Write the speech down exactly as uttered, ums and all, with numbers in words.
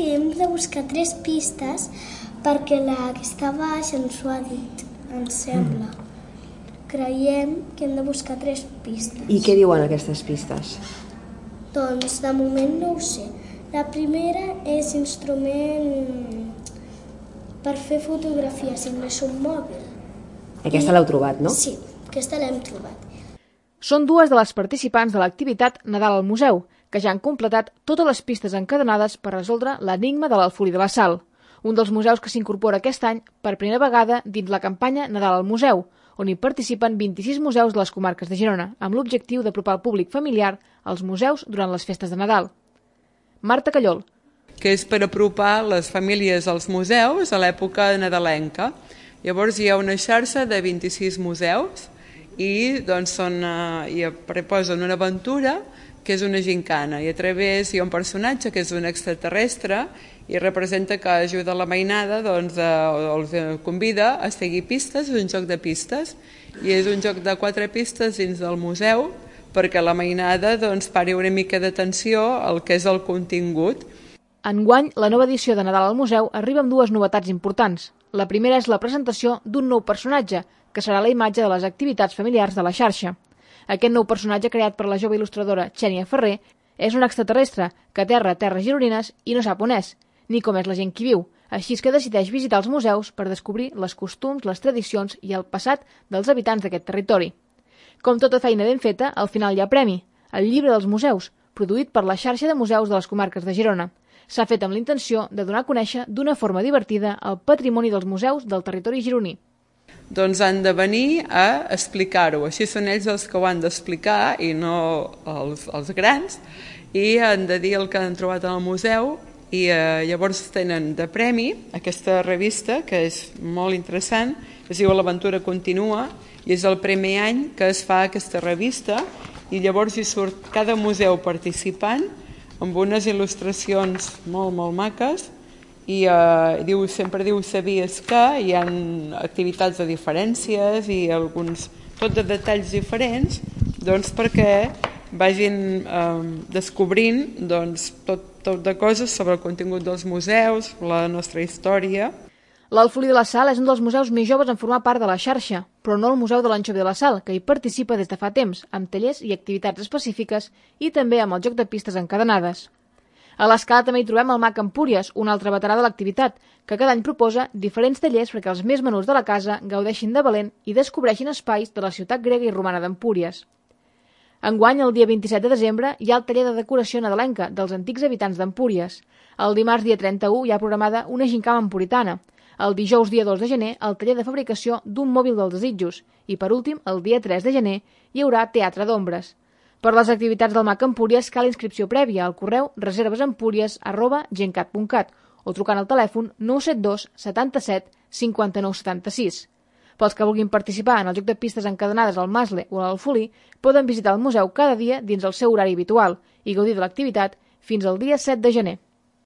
que hem de buscar tres pistes perquè la que està baix ens ho ha dit, ens sembla. Creiem que hem de buscar tres pistes. I què diuen aquestes pistes? Doncs de moment no ho sé. La primera és instrument per fer fotografies, sembla un mòbil. Aquesta l'heu trobat, no? Sí, aquesta l'hem trobat. Són dues de les participants de l'activitat Nadal al Museu, que ja han completat totes les pistes encadenades per resoldre l'enigma de l'Alfolí de la Sal, un dels museus que s'incorpora aquest any per primera vegada dins la campanya Nadal al Museu, on hi participen vint-i-sis museus de les comarques de Girona, amb l'objectiu d'apropar el públic familiar als museus durant les festes de Nadal. Marta Callol. Que és per apropar les famílies als museus a l'època nadalenca. Llavors hi ha una xarxa de vint-i-sis museus i doncs són, uh, i proposen una aventura que és una gincana, i a través hi ha un personatge que és un extraterrestre i representa que ajuda la mainada, doncs, uh, els convida a seguir pistes, és un joc de pistes, i és un joc de quatre pistes dins del museu perquè la mainada doncs, pari una mica d'atenció al que és el contingut. Enguany, la nova edició de Nadal al Museu arriba amb dues novetats importants. La primera és la presentació d'un nou personatge, que serà la imatge de les activitats familiars de la xarxa. Aquest nou personatge, creat per la jove il·lustradora Xènia Ferrer, és un extraterrestre que aterra a terres gironines i no sap on és, ni com és la gent que viu, així que decideix visitar els museus per descobrir les costums, les tradicions i el passat dels habitants d'aquest territori. Com tota feina ben feta, al final hi ha premi, el Llibre dels Museus, produït per la xarxa de museus de les comarques de Girona. S'ha fet amb l'intenció de donar a conèixer d'una forma divertida el patrimoni dels museus del territori gironí. Doncs han de venir a explicar-ho. Així són ells els que ho han d'explicar i no els, els grans, i han de dir el que han trobat en el museu, i eh, llavors tenen de premi aquesta revista, que és molt interessant, es diu L'Aventura Continua, i és el primer any que es fa aquesta revista, i llavors hi surt cada museu participant amb unes il·lustracions molt, molt maques, i eh, diu, sempre diu sabies que hi ha activitats de diferències i alguns, tot de detalls diferents, doncs perquè vagin eh, descobrint doncs, tot, tot de coses sobre el contingut dels museus, la nostra història. L'Alfolí de la Sal és un dels museus més joves en formar part de la xarxa, però no el Museu de l'Anxovi de la Sal, que hi participa des de fa temps, amb tallers i activitats específiques i també amb el joc de pistes encadenades. A l'Escala també hi trobem el Mag Empúries, un altre veterà de l'activitat, que cada any proposa diferents tallers perquè els més menuts de la casa gaudeixin de valent i descobreixin espais de la ciutat grega i romana d'Empúries. Enguany, el dia vint-i-set de desembre, hi ha el taller de decoració nadalenca dels antics habitants d'Empúries. El dimarts, dia trenta-u, hi ha programada una gincama empuritana. El dijous, dia dos de gener, el taller de fabricació d'un mòbil dels desitjos. I, per últim, el dia tres de gener, hi haurà teatre d'ombres. Per les activitats del Mag Empúries cal inscripció prèvia al correu reservesempúries arroba gencat punt cat o trucant al telèfon nou set dos setanta-set cinquanta-nou setanta-sis. Pels que vulguin participar en el joc de pistes encadenades al Masle o a l'Alfolí, poden visitar el museu cada dia dins el seu horari habitual i gaudir de l'activitat fins al dia set de gener.